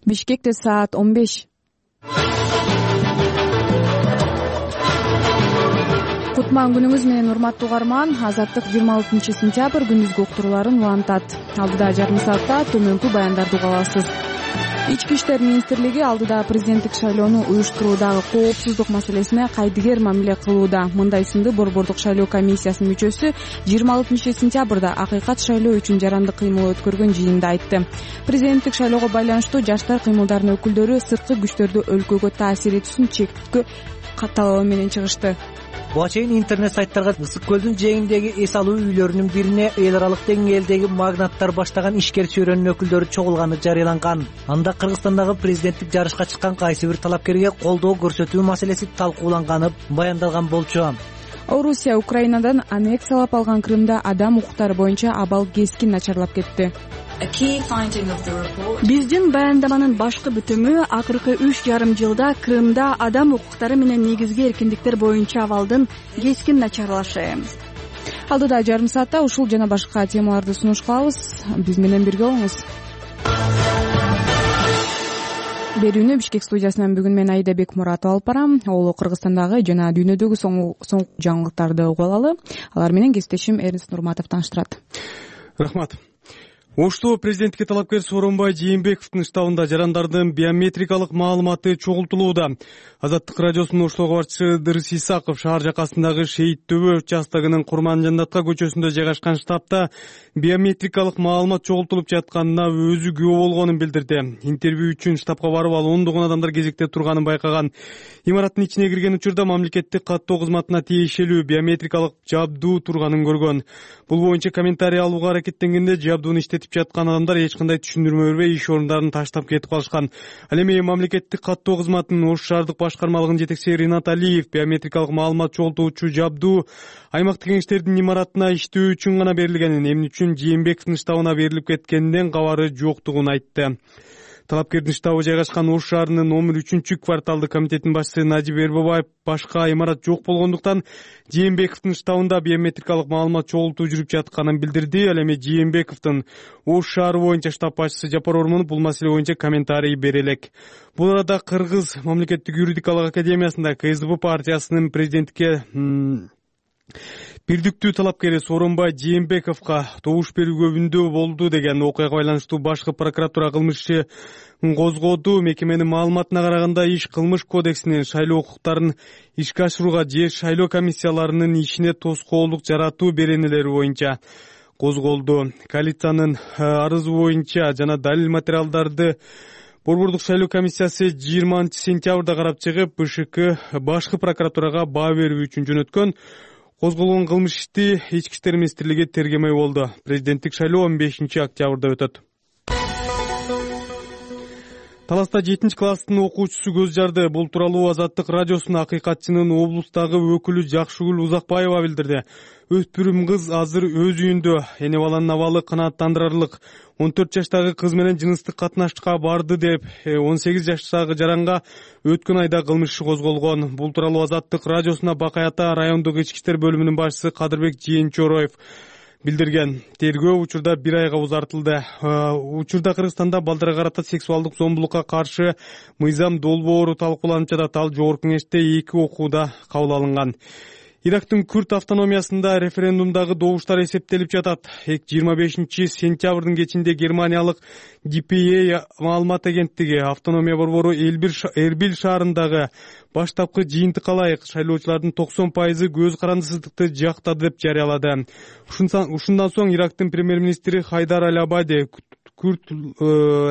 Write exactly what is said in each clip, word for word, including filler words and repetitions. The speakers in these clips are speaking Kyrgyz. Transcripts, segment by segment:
Бишкекте саат он беш. Кутман күнүңүз менен урматтуу угарман. Азаттык жыйырма алтынчы сентябрь күндүзгү уктурууларын улантат. Алдыда жарым саатта төмөнкү баяндарды уга аласыз. Ички иштер министрлиги алдыда президенттик шайлоону уюштуруудагы коопсуздук маселесине кайдыгер мамиле кылууда. Мындай сынды борбордук шайлоо комиссиясынын мүчөсү жыйырма алтынчы сентябрда акыйкат шайлоо үчүн жарандык кыймыл өткөргөн жыйында айтты. Президенттик шайлоого байланыштуу жаштар кыймылдарынын өкүлдөрү сырткы күчтөрдү өлкөгө таасир этүүсүн чектөө талабы менен чыгышты. Буга чейин интернет сайттарга Ысык көлдүн жээгиндеги эс алуу үйлөрүнүн бирине эл аралык деңгээлдеги магнаттар баштаган ишкер чөйрөнүн өкүлдөрү чогулганы жарыяланган. Анда Кыргызстандагы президенттик жарышка чыккан кайсы бир талапкерге колдоо көрсөтүү маселеси талкууланганы баяндалган болчу. Орусия Украинадан аннексиялап алган Крымда адам укуктары боюнча абал кескин начарлап кетти. Биздин баяндаманын башкы бүтүмү акыркы үч жарым жылда Крымда адам укуктары менен негизги эркиндиктер боюнча абалдын кескин начарлашы. Алдыда жарым саатта ушул жана башка темаларды сунуш кылабыз. Биз менен бирге болуңуз. Берүүнү Бишкек студиясынан бүгүн мен Айда Бекмуратова алып барам. Ол Кыргызстандагы жана дүйнөдөгү соңку жаңылыктарды угуп алалы. Алар менен кесиптешим Эрнст Нурматов тааныштырат. Рахмат. Ошто президенттикке талапкер Сооронбай Жээнбековдун штабында жарандардын биометрикалык маалыматы чогултулууда. Азаттык радиосунун Оштогу башчысы Дырыс Исаков шаар жакасындагы Шейит Төбө участогунун Курманжандатка көчөсүндө жайгашкан штабта биометрикалык маалымат чогултулуп жатканына өзү күбө болгонун билдирди. Интервью үчүн штабка барып ал ондогон адамдар кезекте турганын байкаган. Имараттын ичине кирген учурда мамлекеттик каттоо кызматына тиешелүү биометрикалык жабдуу турганын көргөн. Бул боюнча комментарий алууга аракеттенгенде жабдууну иштетип жаткан адамдар эч кандай түшүндүрмө бербей иш орундарын таштап кетип калышкан. Ал эми мамлекеттик каттоо кызматынын Ош шаардык башкармалыгынын жетекчиси Ринат Алиев биометрикалык маалымат чогултуучу жабдуу аймактык кеңештердин имаратына иштөө үчүн гана берилгенин, эмне үчүн Жээнбековдун штабына берилип кеткенден кабары жоктугун айтты. Талапкердин штабы жайгашкан Ош шаарынын номер үчүнчү кварталдык комитетинин башчысы Надиб Эрбебаев башка имарат жок болгондуктан Жээнбековдун штабында биометрикалык маалымат чогултуу жүрүп жатканын билдирди. Ал эми Жээнбековдун Ош шаары боюнча штаб башчысы Жапар Ормонов бул маселе боюнча комментарий бере элек. Бул арада Кыргыз мамлекеттик юридикалык академиясында К С Д П партиясынын президенттикке бирдиктүү талапкери Сооронбай Жээнбековго добуш берүүгө үндөө болду деген окуяга байланыштуу башкы прокуратура кылмыш иши козгоду. Мекеменин маалыматына караганда иш кылмыш кодексинин шайлоо укуктарын ишке ашырууга же шайлоо комиссияларынын ишине тоскоолдук жаратуу беренелери боюнча козголду. Коалициянын арызы боюнча жана далил материалдарды борбордук шайлоо комиссиясы жыйырманчы сентябрда карап чыгып, Б Ш К башкы прокуратурага баа берүү үчүн жөнөткөн. Козголгон кылмыш ишти Ички иштер министрлиги тергемей болду. Президенттик шайлоо он бешинчи октябрда өтөт. Таласта жетинчи класстын окуучусу көз жарды. Бул тууралуу Азаттык радиосунун акыйкатчынын облустагы өкүлү Жакшыгүл Узакбаева билдирди. Өспүрүм кыз азыр өз үйүндө. Эне баланын абалы канааттандырарлык. он төрт жаштагы кыз менен жыныстык катнашка барды деп он сегиз жаштагы жаранга өткөн айда кылмыш иши козголгон. Бул тууралуу Азаттык радиосуна Бакай Ата райондук ички иштер бөлүмүнүн башчысы Кадырбек Жээнчороев билдирген. Тергөө учурда бир айга узартылды. Учурда Кыргызстанда балдарга карата сексуалдык зомбулукка каршы мыйзам долбоору талкууланып жатат. Ал жогорку кеңеште эки окууда кабыл алынган. Ирактын Күрд автономиясында референдумдагы добуштар эсептелип жатат. жыйырма бешинчи сентябрдын кечинде Германиялык Д П А маалымат агенттиги автономия борбору Эрбил шаарындагы баштапкы жыйынтыкка ылайык шайлоочулардын токсон пайызы көз карандысыздыкты жактады деп жарыялады. Ушундан соң Ирактын премьер-министри Хайдар Аль-Абади Күрд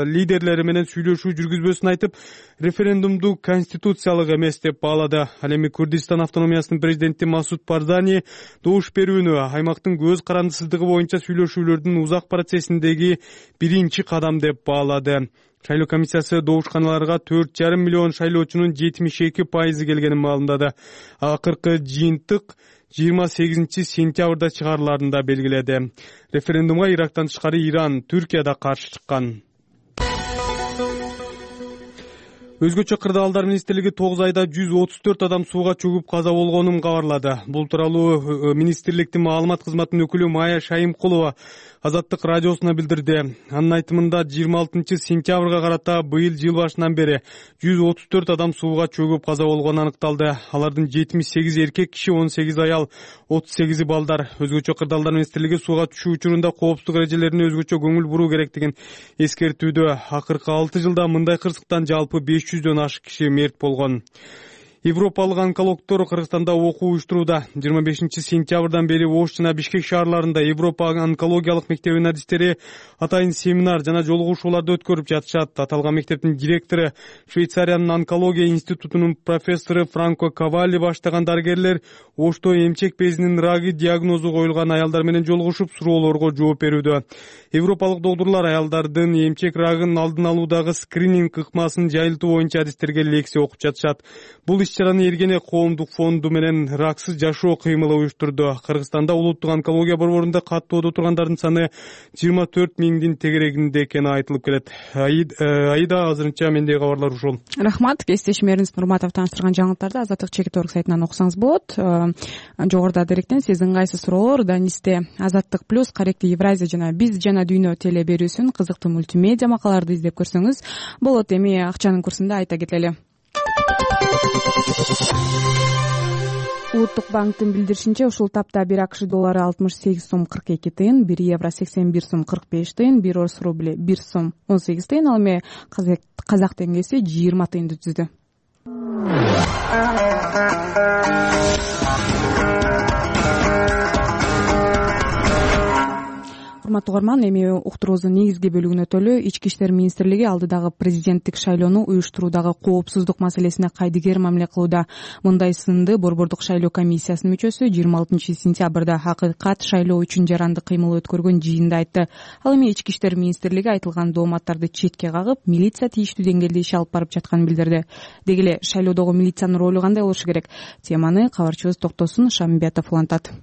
лидерлери менен сүйлөшүү жүргүзбөсүн айтып, референдумду конституциялык эмес деп баалады. Ал эми Курдистан автономиясынын президенти Масуд Барзани добуш берүүнү аймактын көз карандысыздыгы боюнча сүйлөшүүлөрдүн узак процессиндеги биринчи кадам деп баалады. Шайлоо комиссиясы добушканаларга төрт жарым миллион шайлоочунун жетимиш эки пайызы келгенин маалымдады. Акыркы жыйынтык жыйырма сегизинчи сентябрда чыгарыларын да белгиледи. Референдумга Ирактан тышкары Иран, Түркия да каршы чыккан. Өзгөчө кырдаалдар министрлиги тогуз айда жүз отуз төрт адам сууга чөгүп каза болгонун кабарлады. Бул тууралуу министрликтин маалымат кызматынын өкүлү Майя Шайымкулова Азаттык радиосуна билдирди. Анын айтымында жыйырма алтынчы сентябрга карата быйыл жыл башынан бери жүз отуз төрт адам сууга чөгүп каза болгону аныкталды. Алардын жетимиш сегизи эркек киши, он сегиз аял, отуз сегизи балдар. Өзгөчө кырдаалдар министрлиги сууга түшүү учурунда коопсуздук эрежелерине өзгөчө көңүл буруу керектигин эскертүүдө. Акыркы алты жылда мындай кырсыктан жалпы беш жүздөн ашык киши мерт болгон. Европалык онкологдор Кыргызстанда окуу уюштурууда. жыйырма бешинчи сентябрдан бери Ош жана Бишкек шаарларында Европа онкологиялык мектебинин адистери атайын семинар жана жолугушууларды өткөрүп жатышат. Аталган мектептин директору, Швейцариянын онкология институтунун профессору Франко Кавалли баштаган дарыгерлер Ошто эмчек безинин рагы диагнозу коюлган аялдар менен жолугушуп, суроолорго жооп берүүдө. Европалык доктурлар аялдардын эмчек рагынын алдын алуудагы скрининг ыкмасын жайылтуу боюнча адистерге лекция окуп жатышат. Бул иш-чараны Эргене коомдук фонду менен раксыз жашоо кыймылы уюштурду. Кыргызстанда улуттук онкология борборунда каттоодо тургандардын саны жыйырма төрт миңдин тегерегинде экени айтылып келет. Айда азырынча мендеги кабарлар ушул. Рахмат. Кесиптешим Эрнис Нурматов тааныштырган жаңылыктарды Азаттык чекит орг сайтынан окусаңыз болот. Жогоруда даректен сиздин кайсы суроолор Данисте Азаттык плюс, Каректи Евразия жана Биз жана Дүйнө теле берүүсүн кызыктуу мультимедиа макалаларды издеп көрсөңүз болот. Эми акчанын курсунда айта кетели. Улуттук банктын билдиришинче, ушул тапта бир АКШ доллары алтымыш сегиз сом кырк эки тыйын, бир евро сексен бир сом кырк беш тыйын, бир орус рубли бир сом он сегиз тыйын, ал эми казак теңгеси жыйырма тыйынды түздү. Урматтуу угарман, эми уктуруубуздун негизги бөлүгүнө өтөлү. Ички иштер министрлиги алдыдагы президенттик шайлоону уюштуруудагы коопсуздук маселесине кайдыгер мамиле кылууда. Мындай сынды борбордук шайлоо комиссиясынын мүчөсү жыйырма алтынчы сентябрда Акыйкат шайлоо үчүн жаранды кыймыл өткөргөн жыйында айтты. Ал эми ички иштер министрлиги айтылган дооматтарды четке кагып, милиция тийиштүү деңгээлде иш алып барып жатканын билдирди. Деги эле шайлоодогу милициянын ролу кандай болушу керек? Теманы кабарчыбыз Токтосун Шамбетов улантат.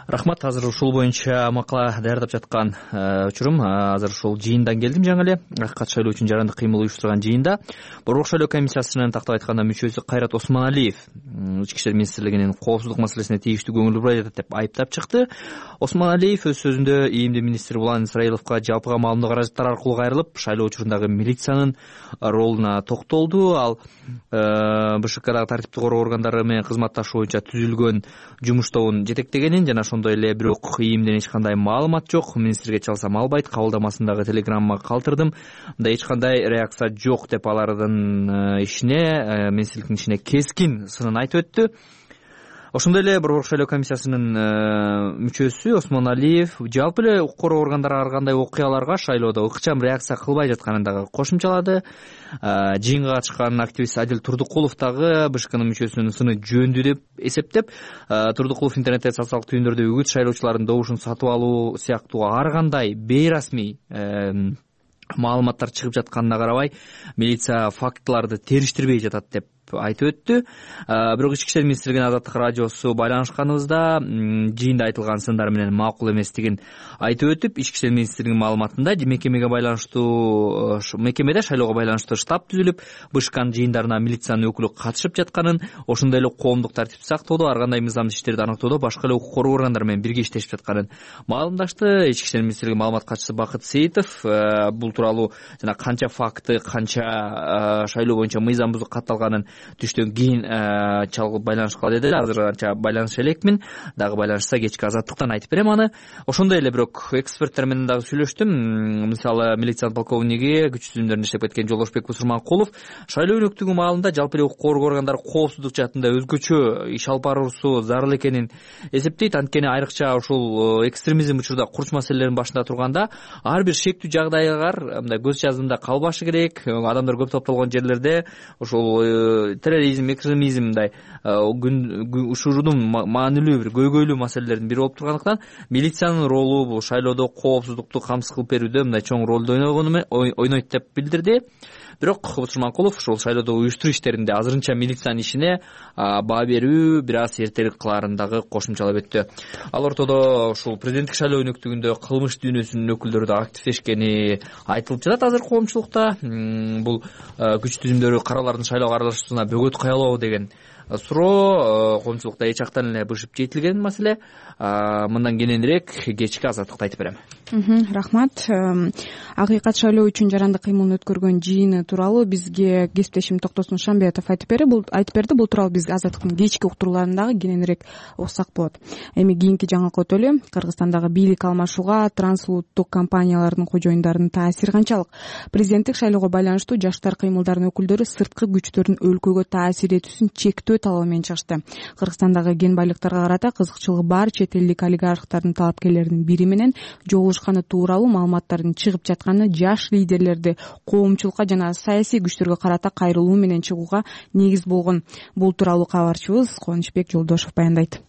Рахмат. Азыр ушул боюнча макала даярдап жаткан учурум. Азыр ушул жыйындан келдим жаңы эле. Акыйкат шайлоо үчүн жарандык кыймыл уюштурган жыйында борбордук шайлоо комиссиясынын тактап айтканда мүчөсү Кайрат Осмоналиев ички иштер министрлигинин коопсуздук маселесине тийиштүү көңүл бурбай жатат деп айыптап чыкты. Осмоналиев өз сөзүндө ИИМдин министри Булан Исраиловго жалпыга маалымдоо каражаттар аркылуу кайрылып, шайлоо учурундагы милициянын ролуна токтолду. Ал БШКдагы тартиптик короо органдары менен кызматташуу боюнча түзүлгөн жумуш тобун жетектегенин жана ошондой эле бирок ИИМден эч кандай маалымат жок, министрге чалсам албайт, кабылдамасындагы телеграмма калтырдым, мындай эч кандай реакция жок деп алардын ишине, министрликтин ишине кескин сынын айтып өттү. Ошондой эле борбордук шайлоо комиссиясынын мүчөсү Осмоналиев жалпы эле укук короо органдары ар кандай окуяларга шайлоодо ыкчам реакция кылбай жатканын дагы кошумчалады. Жыйынга катышкан активист Адил Турдукулов дагы БШКнын мүчөсүнүн сыны жөндүү деп эсептеп, Турдукулов интернетте социалдык түйүндөрдө үгүт шайлоочулардын добушун сатып алуу сыяктуу ар кандай бейрасмий маалыматтар чыгып жатканына карабай, милиция фактыларды териштирбей жатат деп айтып өттү. Бирок ички иштер министрлигинин Азаттык радиосу байланышканыбызда жыйында айтылган сындар менен макул эместигин айтып өтүп, ички иштер министрлигинин маалыматында мекемеге байланыштуу мекемеде шайлоого байланыштуу штаб түзүлүп, БШКнын жыйындарына милициянын өкүлү катышып жатканын, ошондой эле коомдук тартипти сактоодо, ар кандай мыйзамдуу иштерди аныктоодо башка эле укук короо органдары менен бирге иштешип жатканын маалымдашты. Ички иштер министрлиги маалымат катчысы Бакыт Сейитов бул тууралуу жана канча факты, канча шайлоо боюнча мыйзам бузук катталганын түштөн кийин чалгып байланышкыла деди. Азыр анча байланыша элекмин, дагы байланышса кечки Азаттыктан айтып берем аны. Ошондой эле бирок эксперттер менен дагы сүйлөштүм. Мисалы, милициянын полковниги, күч түзүмдөрүндө иштеп кеткен Жолдошбек Усурманкулов шайлоо өнөктүгү маалында жалпы эле укук коргоо органдары коопсуздук жаатында өзгөчө иш алып баруусу зарыл экенин эсептейт. Анткени айрыкча ушул экстремизм учурда курч маселелердин башында турганда ар бир шектүү жагдайлар мындай көз жаздымда калбашы керек. Адамдар көп топтолгон жерлерде ушул терроризм, экстремизм мындай ушурудун маанилүү бир көйгөйлүү маселелердин бири болуп тургандыктан милициянын ролу бул шайлоодо коопсуздукту камсыз кылып берүүдө мындай чоң ролду ойнойт деп билдирди. бирок Кубут Жуманкулов ушул шайлоодо уюштуруу иштеринде азырынча милициянын ишине баа берүү бир аз эртерээк кылаарын дагы кошумчалап өттү. Ал ортодо ушул президенттик шайлоо өнөктүгүндө кылмыш дүйнөсүнүн өкүлдөрү да активдешкени айтылып жатат азыр коомчулукта. Бул күч түзүмдөрү каралардын шайлоого аралашуусуна бөгөт куялабы деген суроо коомчулукта эч жактан эле бышып жетилген маселе. Мындан кененирээк кечки Азаттыкта айтып берем. Рахмат. Акыйкат шайлоо үчүн жарандык кыймылын өткөргөн жыйыны тууралуу бизге кесиптешим Токтосун Шамбетов айтып берди. Бул айтып берди. Бул тууралуу биз Азаттыктын кечки уктурууларындагы кененирээк уксак болот. Эми кийинки жаңылык өтөлү. Кыргызстандагы бийлик алмашууга трансулуттук компаниялардын кожоюндарынын таасири канчалык? Президенттик шайлоого байланыштуу жаштар кыймылдарынын өкүлдөрү сырткы күчтөрдүн өлкөгө таасир этүүсүн чектөө талабы менен чыгышты. Кыргызстандагы кен байлыктарга карата кызыкчылыгы бар чет элдик олигархтардын талапкерлеринин бири менен жолугушканы тууралуу маалыматтардын чыгып жатканы жаш лидерлерди коомчулукка жана саясий күчтөргө карата кайрылуу менен чыгууга негиз болгон. Бул тууралуу кабарчыбыз Кубанычбек Жолдошов баяндайт.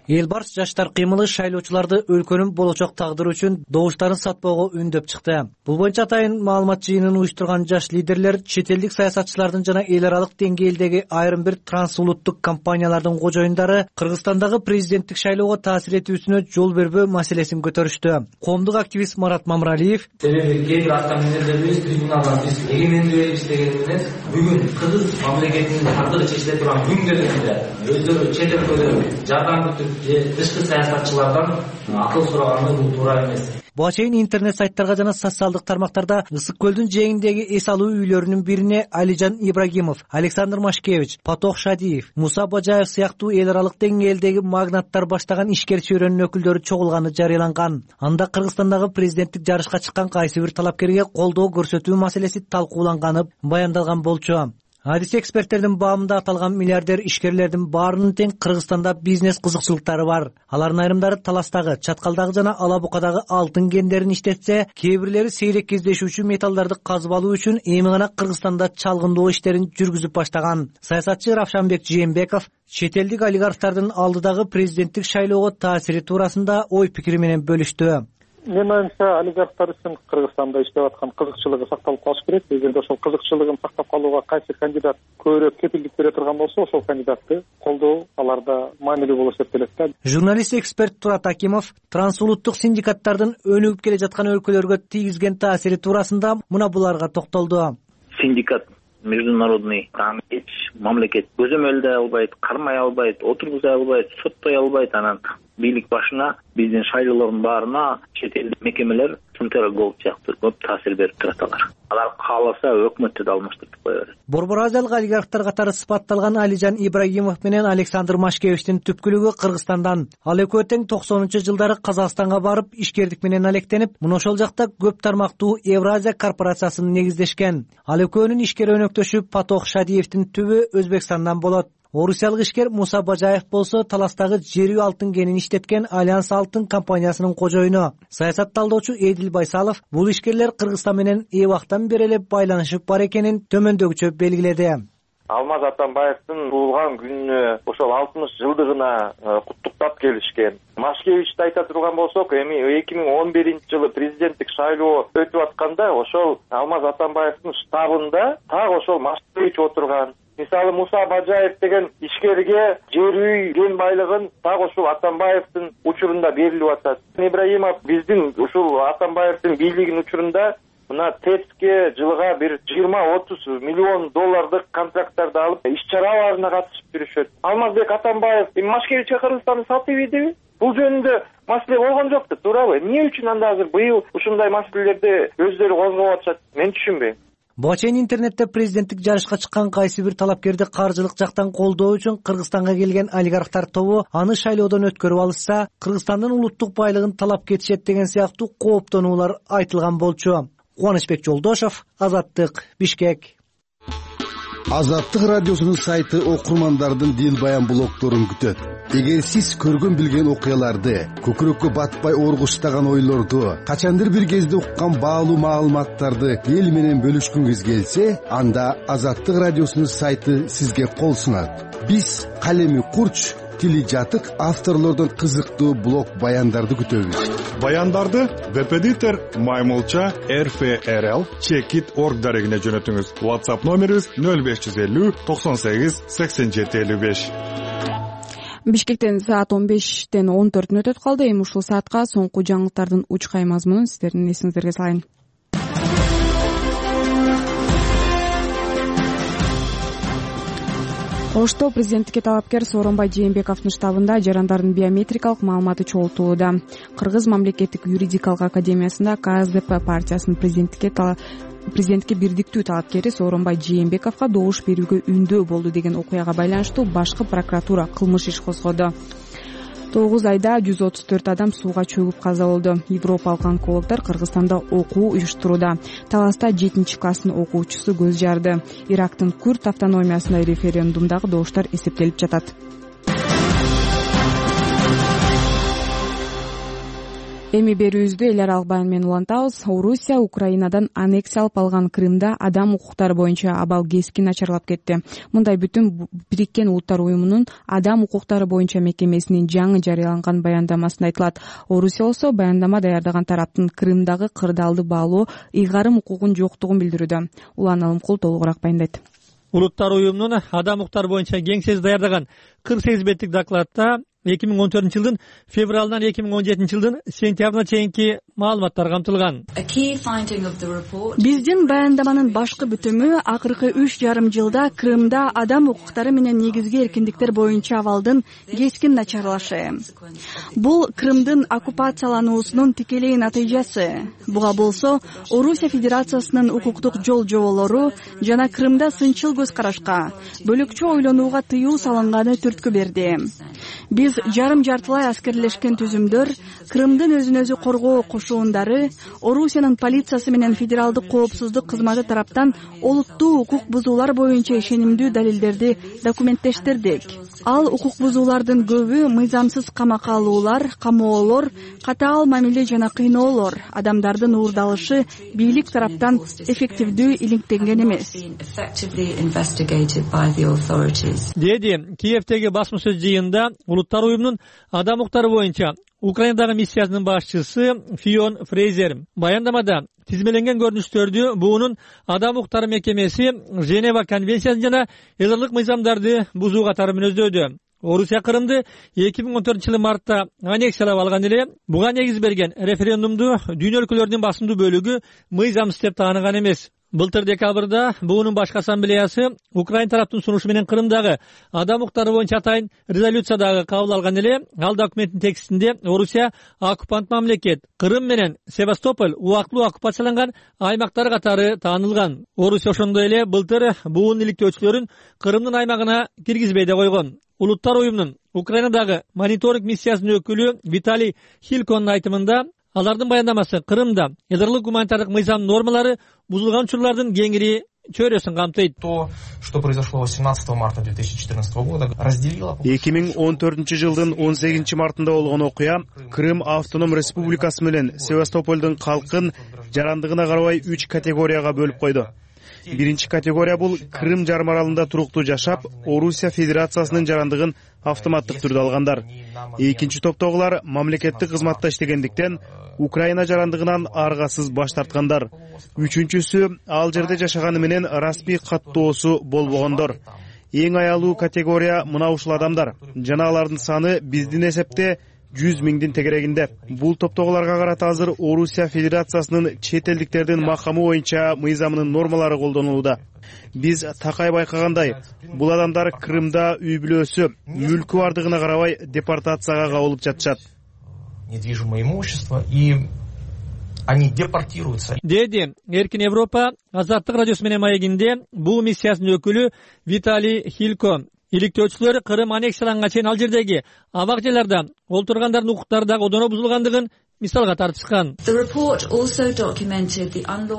Эл барс жаштар кыймылы шайлоочуларды өлкөнүн болочок тагдыры үчүн добуштарын сатпоого үндөп чыкты. Бул боюнча атайын маалымат жыйынын уюштурган жаш лидерлер чет элдик саясатчылардын жана эл аралык деңгээлдеги айрым бир трансулуттук компаниялардын кожоюндары Кыргызстандагы президенттик шайлоого таасир этүүсүнө жол бербөө маселесин көтөрүштү. Коомдук активист Марат Мамыралиев: себеби кээ бир атаминерлерибиз трибуналда биз эгемендүү элбиз деген менен бүгүн кыргыз мамлекетинин тагдыры чечиле турган күн келгенде өздөрү чет өлкөдө жардам күтүп же тышкы саясатчылардан акыл сураганы бул туура эмес. Буга чейин интернет сайттарга жана социалдык тармактарда Ысык көлдүн жээгиндеги эс алуу үйлөрүнүн бирине Алижан Ибрагимов, Александр Машкевич, Патох Шадиев, Муса Бажаев сыяктуу эл аралык деңгээлдеги магнаттар баштаган ишкер чөйрөнүн өкүлдөрү чогулганы жарыяланган. Анда Кыргызстандагы президенттик жарышка чыккан кайсы бир талапкерге колдоо көрсөтүү маселеси талкууланганы баяндалган болчу. Адис эксперттердин баамында аталган миллиардер ишкерлердин баарынын тең Кыргызстанда бизнес кызыкчылыктары бар. Алардын айрымдары таластагы, чаткалдагы жана ала букадагы алтын кендерин иштетсе, кээ бирлери сейрек кездешүүчү металлдарды казып алуу үчүн эми гана Кыргызстанда чалгындоо иштерин жүргүзүп баштаган. Саясатчы Равшанбек Жээнбеков чет элдик олигархтардын алдыдагы президенттик шайлоого таасири туурасында ой пикири менен бөлүштү. Мен оюмча, олигархтар үчүн Кыргызстанда иштеп аткан кызыкчылыгы сакталып калыш керек. Эгерде ошол кызыкчылыгын сактап калууга кайсы кандидат көбүрөөк кепилдик бере турган болсо, ошол кандидатты колдоо аларда маанилүү болуп эсептелет да. Журналист эксперт Турат Акимов трансулуттук синдикаттардын өнүгүп келе жаткан өлкөлөргө тийгизген таасири туурасында мына буларга токтолду. Синдикат международный аны эч мамлекет көзөмөлдөй албайт, кармай албайт, отургуза албайт, соттой албайт. Анан бийлик башына биздин шайлоолордун баарына чет элдик мекемелер Центр Голд сыяктуу көп таасир берип турат алар. Алар кааласа өкмөттү да алмаштырып кое берет. Борбор Азиялык олигархтар катары сыпатталган Алижан Ибрагимов менен Александр Машкевичтин түпкүлүгү Кыргызстандан. Ал экөө тең токсонунчу жылдары Казакстанга барып ишкердик менен алектенип, мына ошол жакта көп тармактуу Евразия корпорациясын негиздешкен. Ал экөөнүн ишкер өнөктөшү Патох Шадиевдин түбү Өзбекстандан болот. Орусиялык ишкер Муса Бажаев болсо таластагы жерүү алтын кенин иштеткен Альянс алтын компаниясынын кожоюну. Саясат талдоочу Эдил Байсалов бул ишкерлер Кыргызстан менен эбактан бери эле байланышып бар экенин төмөндөгүчө белгиледи. Алмаз Атамбаевдин туулган күнүнө ошол алтымыш жылдыгына куттуктап келишкен. Машкевичти айта турган болсок, эми эки миң он биринчи жылы президенттик шайлоо өтүп атканда ошол Алмаз Атамбаевдин штабында так ошол Машкевич отурган. Мисалы Муса Бажаев деген ишкерге жер үй кен байлыгын так ошол Атамбаевдин учурунда берилип атат. Ибрагимов биздин ушул Атамбаевдин бийлигинин учурунда мына ТЭЦке жылга бир жыйырма отуз миллион доллардык контракттарды алып иш чараларына катышып жүрүшөт. Алмазбек Атамбаев Машкевичке Кыргызстанды сатып ийдиби? Бул жөнүндө маселе болгон жокпу, туурабы? Эмне үчүн анда азыр быйыл ушундай маселелерди өздөрү козгоп атышат? Мен түшүнбөйм. Буга чейин интернетте президенттик жарышка чыккан кайсы бир талапкерди каржылык жактан колдоо үчүн Кыргызстанга келген олигархтар тобу аны шайлоодон өткөрүп алышса, Кыргызстандын улуттук байлыгын талап кетишет деген сыяктуу кооптонуулар айтылган болчу. Кубанычбек Жолдошов, Азаттык, Бишкек. Азаттык радиосунун сайты окурмандардын дил баян блогдорун күтөт. Эгер сиз көргөн билген окуяларды, көкүрөккө батпай оргуштаган ойлорду, качандыр бир кезде уккан баалуу маалыматтарды эл менен бөлүшкүңүз келсе, анда Азаттык радиосунун сайты сизге кол сунат. Биз калеми курч, тили жатык авторлордон кызыктуу блог баяндарды күтөбүз. Баяндарды Веб-эдитор Маймылча эр эф эр эл чекит точка орг дарегине жөнөтүңүз. WhatsApp номерибиз нөл беш жүз элүү токсон сегиз сексен жети элүү беш. Бишкектен саат он бештен он төртүнө өтөт калды. Эми ушул саатка соңку жаңылыктардын учкай мазмунун сиздердин эсиңиздерге салайын. Ошто президенттикке талапкер Сооронбай Жээнбековдун штабында жарандардын биометрикалык маалыматы чогултулууда. Кыргыз мамлекеттик юридикалык академиясында ка эс дэ пэ партиясынын президенттикке президентке бирдиктүү талапкери Сооронбай Жээнбековго добуш берүүгө үндөө болду деген окуяга байланыштуу башкы прокуратура кылмыш иш козгоду. тогуз айда жүз отуз төрт адам сууга чөгүп каза болду. Европалык онкологдор Кыргызстанда окуу уюштурууда. Таласта жетинчи класстын окуучусу көз жарды. Ирактын Күрд автономиясында референдумдагы добуштар эсептелип жатат. Эми берүүбүздү эл аралык баян менен улантабыз. Орусия Украинадан аннексиялап алган Крымда адам укуктары боюнча абал кескин начарлап кетти. Мындай бүтүн Бириккен Улуттар уюмунун адам укуктары боюнча мекемесинин жаңы жарыяланган баяндамасында айтылат. Орусия болсо баяндама даярдаган тараптын Крымдагы кырдаалды баалоо ыйгарым укугун жоктугун билдирүүдө. Улан Алымкул толугураак баяндайт. Улуттар уюмунун адам укуктары боюнча кеңсеси даярдаган кырк сегиз беттик докладта эки миң он төртүнчү жылдын февралынан эки миң он жетинчи жылдын сентябрына чейинки маалыматтар камтылган. Биздин баяндаманын башкы бүтүмү акыркы үч жарым жылда Крымда адам укуктары менен негизги эркиндиктер боюнча абалдын кескин начарлашы. Бул Крымдын оккупациялануусунун тикелей натыйжасы. Буга болсо Орусия Федерациясынын укуктук жол жоболору жана Крымда сынчыл көз карашка, бөлөкчө ойлонууга тыюу салынганы түрткү берди. Биз жарым жартылай аскерлешкен түзүмдөр, Крымдын өзүн өзү коргоо кошуундары, Орусиянын полициясы менен федералдык коопсуздук кызматы тараптан олуттуу укук бузуулар боюнча ишенимдүү далилдерди документтештирдик. Ал укук бузуулардын көбү мыйзамсыз камакка алуулар, камоолор, катаал мамиле жана кыйноолор, адамдардын уурдалышы бийлик тараптан эффективдүү иликтенген эмес. Деди Киевдеги басма сөз жыйынында Улуттар уюмунун адам укуктары боюнча Украинадагы миссиясынын башчысы Фион Фрейзер. Баяндамада тизмеленген көрүнүштөрдү буунун адам укуктары мекемеси Женева конвенциясын жана эл аралык мыйзамдарды бузуу катары мүнөздөдү. Орусия Крымды эки миң он төртүнчү жылы мартта аннексиялап алган эле. Буга негиз берген референдумду дүйнө өлкөлөрүнүн басымдуу бөлүгү мыйзамсыз деп тааныган эмес. Былтыр декабрда буунун башкы ассамблеясы Украин тараптын сунушу менен Крымдагы адам укуктары боюнча атайын резолюция дагы кабыл алган эле. Ал документтин текстинде Орусия оккупант мамлекет, Крым менен Севастополь убактылуу оккупацияланган аймактар катары таанылган. Орусия ошондой эле былтыр буунун иликтөөчүлөрүн Крымдын аймагына киргизбей да койгон. Улуттар уюмунун Украинадагы мониторинг миссиясынын өкүлү Виталий Хильконун айтымында алардын баяндамасы Крымда эл аралык гуманитардык мыйзам нормалары бузулган учурлардын кеңири чөйрөсүн камтыйт. То, что произошло восемнадцатого марта две тысячи четырнадцатого года, разделило. эки миң он төртүнчү жылдын он сегизинчи мартында болгон окуя Крым автоном республикасы менен Севастополдун калкын жарандыгына карабай үч категорияга бөлүп койду. Биринчи категория бул Крым жарым аралында туруктуу жашап, Орусия Федерациясынын жарандыгын автоматтык түрдө алгандар. Экинчи топтогулар мамлекеттик кызматта иштегендиктен Украина жарандыгынан аргасыз баш тарткандар. Үчүнчүсү ал жерде жашаганы менен расмий каттоосу болбогондор. Эң аялуу категория мына ушул адамдар. Жана алардын саны биздин эсепте жүз миңдин тегерегинде. Бул топтогуларга карата азыр Орусия Федерациясынын чет элдиктердин макамы боюнча мыйзамынын нормалары колдонулууда. Биз такай байкагандай, бул адамдар Крымда үй бүлөсү, мүлкү бардыгына карабай депортацияга кабылып жатышат. Недвижимое имущество, и они депортируются. Деди Эркин Европа Азаттык радиосу менен маегинде бул миссиясынын өкүлү Виталий Хилько. Иликтөөчүлөр Крым аннексияланганга чейин ал жердеги абак жайларда олтургандардын укуктары дагы одоно бузулгандыгын мисалга тартышкан.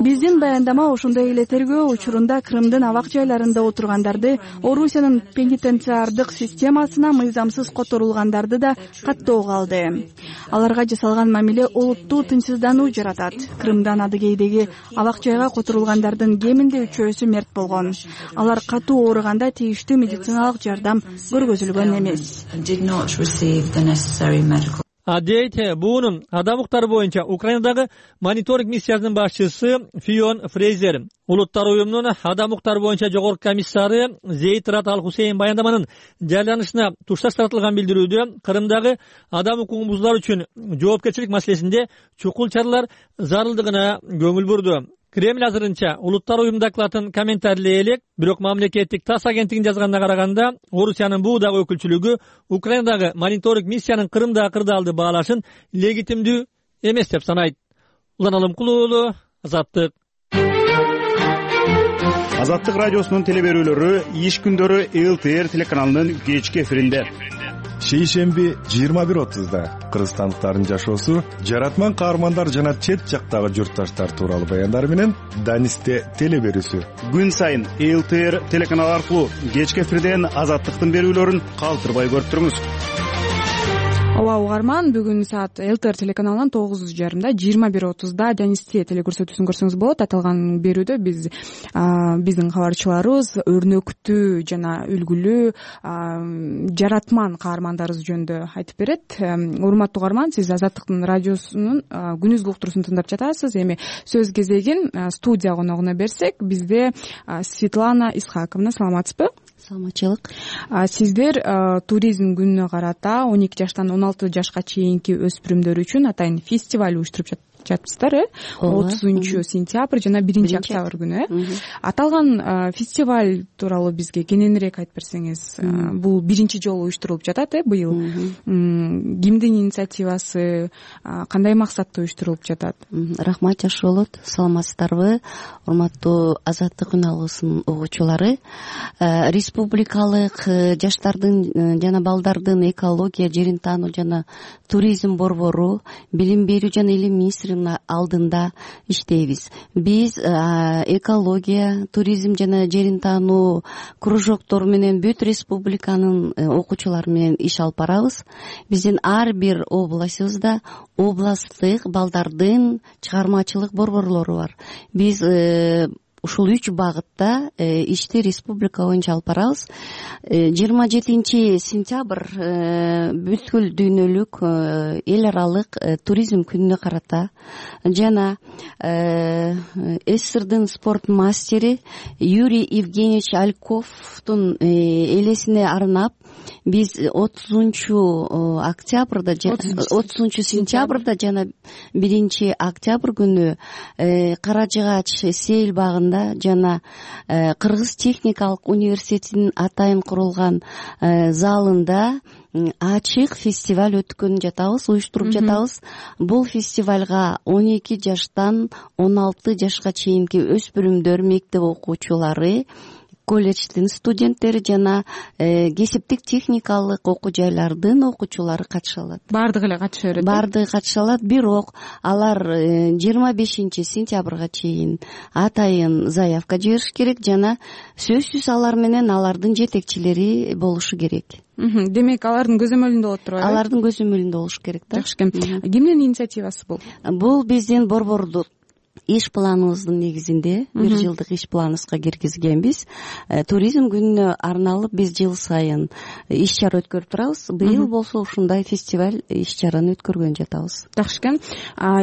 Биздин баяндама ошондой эле тергөө учурунда Крымдын абак жайларында отургандарды, Орусиянын пенитенциардык системасына мыйзамсыз которулгандарды да каттоого алды. Аларга жасалган мамиле олуттуу тынчсыздануу жаратат. Крымдан адыгейдеги абак жайга которулгандардын кеминде үчөөсү мерт болгон. Алар катуу ооруганда тийиштүү медициналык жардам көргөзүлгөн эмес. Дейт буунун адам укуктары боюнча Украинадагы мониторинг миссиясынын башчысы Фион Фрейзер, Улуттар уюмунун адам укуктары боюнча жогорку комиссары Зейд Рат Ал Хусейн баяндаманын жарыяланышына тушташ таратылган билдирүүдө Крымдагы адам укугун бузуулар үчүн жоопкерчилик маселесинде чукул чаралар зарылдыгына көңүл бурду. Кремль азырынча Улуттар уюму докладын комментарийлей элек, бирок мамлекеттик ТАСС агенттигинин жазганына караганда, Орусиянын бул дагы өкүлчүлүгү Украинадагы мониторинг миссиянын Крымдагы кырдаалды баалашын легитимдүү эмес деп санайт. Улан Алымкул уулу, Азаттык. Азаттык радиосунун телеберүүлөрү иш күндөрү эл тэ эр телеканалынын кечки эфиринде. Шейшемби жыйырма бир отузда кыргызстандыктардын жашоосу, жаратман каармандар жана чет жактагы журтташтар тууралуу баяндар менен Данисте телеберүүсү. Күн сайын эл тэ эр телеканалы аркылуу кечки эфирден Азаттыктын берүүлөрүн калтырбай көрүп туруңуз. Ооба угарман, бүгүн саат эл тэ эр телеканалынын тогуз жарымда жыйырма бир отузда Данисте телекөрсөтүүсүн көрсөңүз болот. Аталган берүүдө биз биздин кабарчыларыбыз өрнөктүү жана үлгүлүү жаратман каармандарыбыз жөнүндө айтып берет. Урматтуу угарман, сиз Азаттыктын радиосунун күнүзгү уктуруусун тыңдап жатасыз. Эми сөз кезегин студия коногуна берсек, бизде Светлана Исхаковна. Саламатсызбы? Саламатчылык. Сиздер туризм күнүнө карата он эки жаштан он алты жашка чейинки өспүрүмдөр үчүн атайын фестиваль уюштуруп жатыпсыздар, э? отузунчу сентябрь жана биринчи октябрь күнү, э? Аталган фестиваль тууралуу бизге кененирээк айтып берсеңиз. Бул биринчи жолу уюштурулуп жатат, э, быйыл. Кимдин инициативасы, кандай максатта уюштурулуп жатат? Рахмат, жакшы болот. Саламатсыздарбы, урматтуу Азаттык күнүалуусунун угуучулары. Республикалык жаштардын жана балдардын экология, жерин таануу жана туризм борбору, билим берүү жана илим министринин алдында иштейбиз. Биз экология, туризм жана жерин таануу кружоктору менен бүт республиканын окуучулары менен иш алып барабыз. Биздин ар бир областыбызда областтык балдардын чыгармачылык борборлору бар. Биз ушул үч багытта ишти республика боюнча алып барабыз. жыйырма жетинчи сентябрь бүткүл дүйнөлүк эл аралык туризм күнүнө карата жана СССРдын спорт мастери Юрий Евгеньевич Альковдун элесине арнап биз отузунчу октябрда отузунчу сентябрда жана биринчи октябрь күнү Кара Жыгач сейил багында жана Кыргыз техникалык университетинин атайын курулган залында ачык фестиваль өткөн жатабыз, уюштуруп жатабыз. Бул фестивалга он эки жаштан он алты жашка чейинки өспүрүмдөр, мектеп окуучулары, колледждин студенттери жана кесиптик техникалык окуу жайлардын окуучулары катыша алат. Бардыгы эле катыша берет. Бардыгы катыша алат, бирок алар жыйырма бешинчи сентябрга чейин атайын заявка жибериш керек жана сөзсүз алар менен алардын жетекчилери болушу керек. Демек, алардын көзөмөлүндө болот турбайбы? Алардын көзөмөлүндө болуш керек да. Жакшы. Кимдин инициативасы бул? Бул биздин борбордун иш планыбыздын негизинде бир жылдык иш планыбызга киргизгенбиз. Туризм күнүнө арналып биз жыл сайын иш чара өткөрүп турабыз. Быйыл болсо ушундай фестиваль иш чараны өткөргөн жатабыз. Жакшы экен.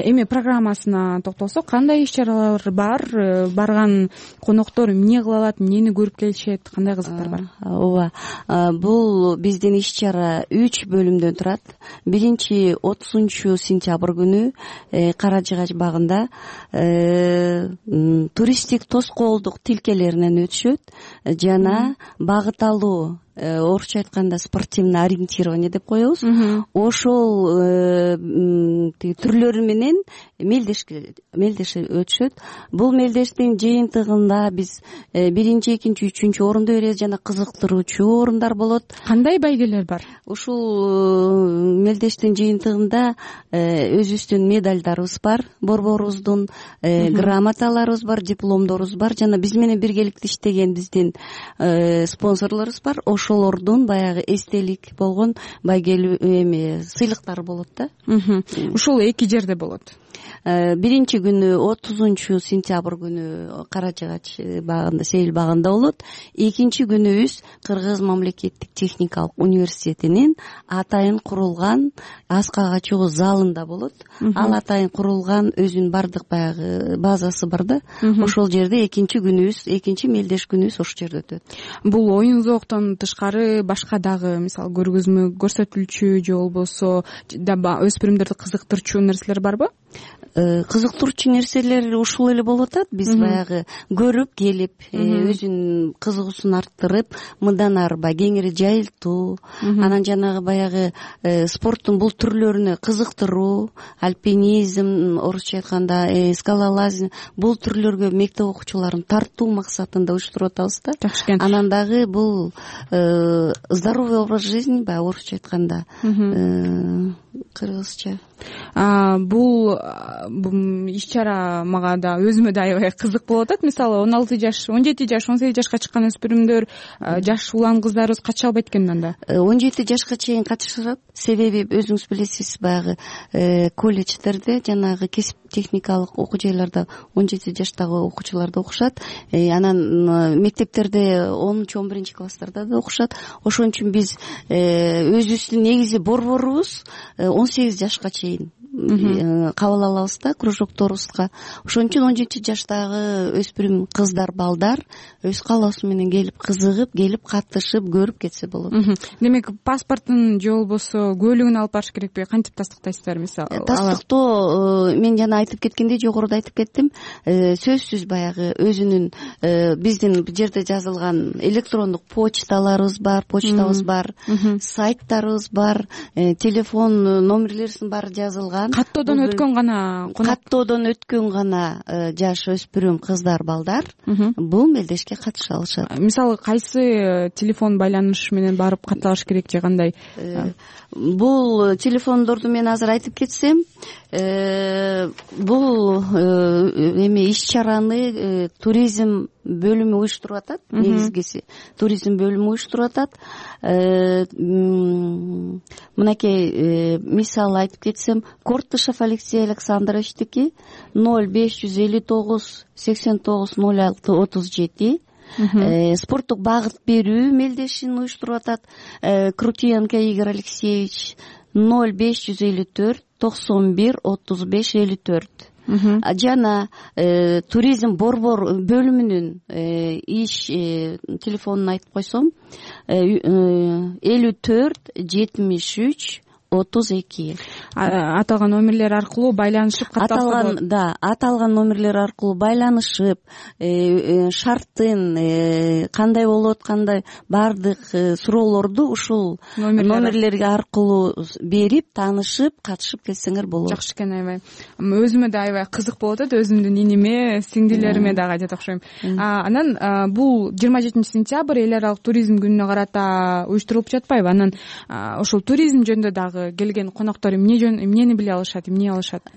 Эми программасына токтолсок, кандай иш чаралар бар? Барган коноктор эмне кыла алат, эмнени көрүп келишет, кандай кызыктар бар? Ооба. Бул биздин иш чара үч бөлүмдөн турат. Биринчи отузунчу сентябрь күнү Кара Жыгач багында туристтик тоскоолдук тилкелеринен өтүшөт жана багыт алуу орусча айтканда спортивный ориентирование деп коебуз. Ошол тиги түрлөрү менен мелдешке мелдешип өтүшөт. Бул мелдештин жыйынтыгында биз биринчи экинчи үчүнчү орунду беребиз жана кызыктыруучу орундар болот. Кандай байгелер бар? Ушул мелдештин жыйынтыгында өзүбүздүн медалдарыбыз бар, борборубуздун грамоталарыбыз бар, дипломдорубуз бар жана биз менен биргеликте иштеген биздин спонсорлорубуз бар. Ошолордун баягы эстелик болгон байгелүү эме сыйлыктары болот да. Ушул эки жерде болот. Биринчи күнү отузунчу сентябрь күнү Кара Жыгач багында, Сейил багында болот. Экинчи күнүбүз Кыргыз мамлекеттик техникалык университетинин атайын курулган аска качуу залында болот. Ал атайын курулган өзүнүн бардык баягы базасы бар да. Ошол жерде экинчи күнүбүз, экинчи мелдеш күнүбүз ошол жерде өтөт. Бул оюн зооктон тышкары башка дагы мисалы көргөзмө көрсөтүлчү же болбосо өспүрүмдөрдү кызыктырчу нерселер барбы? Кызыктырчу нерселер ушул эле болуп атат. Биз баягы көрүп келип, өзүнүн кызыгуусун арттырып, мындан ары баягы кеңири жайылтуу, анан жанагы баягы спорттун бул түрлөрүнө кызыктыруу, альпинизм, орусча айтканда скалолазм, бул түрлөргө мектеп окуучуларын тартуу максатында уюштуруп атабыз да. Жакшы экен. Анан дагы бул здоровый образ жизни, баягы орусча айтканда кыргызча. Бул иш-чара мага да өзүмө да аябай кызык болуп атат. Мисалы он алты жаш, он жети жаш, он сегиз жашка чыккан өспүрүмдөр, жаш улан кыздарыбыз катыша албайт экен анда. он жети жашка чейин катышат. Себеби өзүңүз билесиз, баягы колледждерде жанагы кесип техникалык окуу жайларда он жети жаштагы окуучулар да окушат. Анан мектептерде онунчу он биринчи класстарда да окушат. Ошон үчүн биз өзүбүздүн негизи борборубуз он сегиз жашка чейин кабыл алабыз да кружокторубузга. Ошон үчүн он жети жаштагы өспүрүм кыздар, балдар өз каалоосу менен келип, кызыгып, келип катышып, көрүп кетсе болот. Демек, паспортун же болбосо көлүгүн алып барыш керекпи? Кантип тастыктайсыздар мисалы? Тастыктоо мен жана айтып кеткендей, жогоруда айтып кеттим, сөзсүз баягы өзүнүн биздин бул жерде жазылган электрондук почталарыбыз бар, почтабыз бар, сайттарыбыз бар, телефон номерлерибиздин баары жазылган. Каттоодон өткөн гана каттоодон өткөн гана жаш өспүрүм кыздар, балдар бул мелдешке катыша алышат. Мисалы кайсы телефон байланыш менен барып катталыш керек же кандай? Бул телефондорду мен азыр айтып кетсем, бул эме иш-чараны туризм бөлүмү уюштуруп атат. Негизгиси туризм бөлүмү уюштуруп атат. Мынакей мисал айтып кетсем, Кортышев Алексей Александровичтики ноль беш жүз элүү тогуз сексен тогуз ноль алты отуз жети. Спорттук багыт берүү мелдешин уюштуруп атат. Крутиенко Игорь Алексеевич ноль беш жүз элүү төрт токсон бир отуз беш элүү төрт. Жана туризм борбор бөлүмүнүн иш телефонун айтып койсом, элүү төрт жетимиш үч отуз эки. Аталган номерлер аркылуу байланышып катталса болот. Аталган, да, аталган номерлер аркылуу байланышып, шарттын кандай болуп аткандай бардык суроолорду ушул номерлерге аркылуу берип, таанышып, катышып келсеңер болот. Жакшы экен, аябай. Өзүмө да аябай кызык болуп атат, өзүмдүн иниме, сиңдилериме дагы айтат окшойм. Анан бул жыйырма жетинчи сентябрь эл аралык туризм күнүнө карата уюштурулуп жатпайбы? Анан ошол туризм жөнүндө дагы келген коноктор эмнени биле алышат, эмне алышат?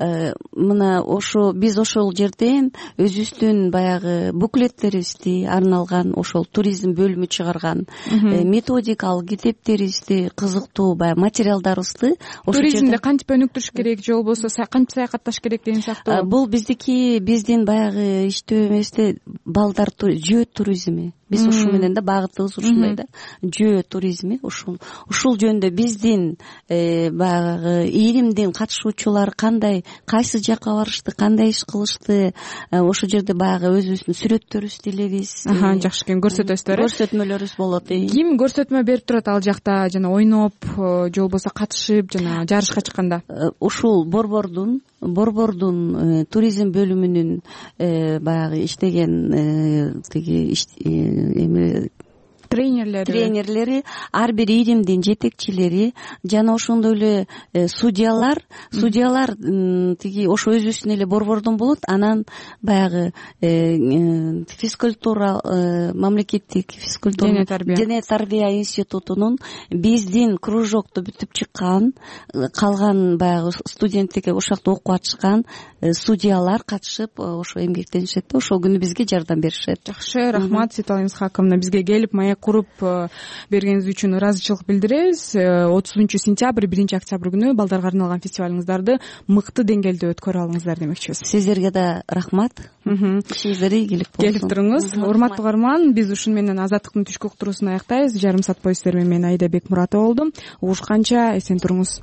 Мына ошо биз ошол жерден өзүбүздүн баягы буклеттерибизди арналган ошол туризм бөлүмү чыгарган методикалык китептерибизди, кызыктуу баягы материалдарыбызды туризмде кантип өнүктүрүш керек же болбосо кантип саякатташ керек деген сыяктуу. Бул биздики биздин баягы иштөө эместе балдар жөө туризми. Биз ушул менен да багытыбыз ушундай да. Жөө туризми ушул ушул жөнүндө биздин баягы ийримдин катышуучулары кандай, кайсы жакка барышты, кандай иш кылышты, ошол жерде баягы өзүбүздүн сүрөттөрүбүздү илебиз. Жакшы экен, көрсөтөсүздөр. Көрсөтмөлөрүбүз болот. Ким көрсөтмө берип турат ал жакта, жана ойноп же болбосо катышып, жана жарышка чыкканда? Ушул борбордун борбордун туризм бөлүмүнүн баягы иштеген тиги эме тренерлери тренерлери ар бир иримдин жетекчилери жана ошондой эле судьялар судьялар тиги ошо өзүбүздүн эле борбордон болот. Анан баягы физкультура мамлекеттик физкультура дене тарбия институтунун биздин кружокту бүтүп чыккан калган баягы студенттер ошол жакта окуп атышкан судьялар катышып ошо эмгектенишет да, ошол күнү бизге жардам беришет. Жакшы, рахмат Светлана Исхаковна, бизге келип маек куруп бергениңиз үчүн ыраазычылык билдиребиз. отузунчу сентябрь биринчи октябрь күнү балдарга арналган фестивалыңыздарды мыкты деңгээлде өткөрө алыңыздар демекчибиз. Сиздерге да рахмат. Ишиңиздер ийгилик болсун. Келип туруңуз. Урматтуу угарман, биз ушуну менен Азаттыктын түшкү уктуруусун аяктайбыз. Жарым саат бою сиздер менен мен Айда Бекмуратова болдум. Угушканча эсен туруңуз.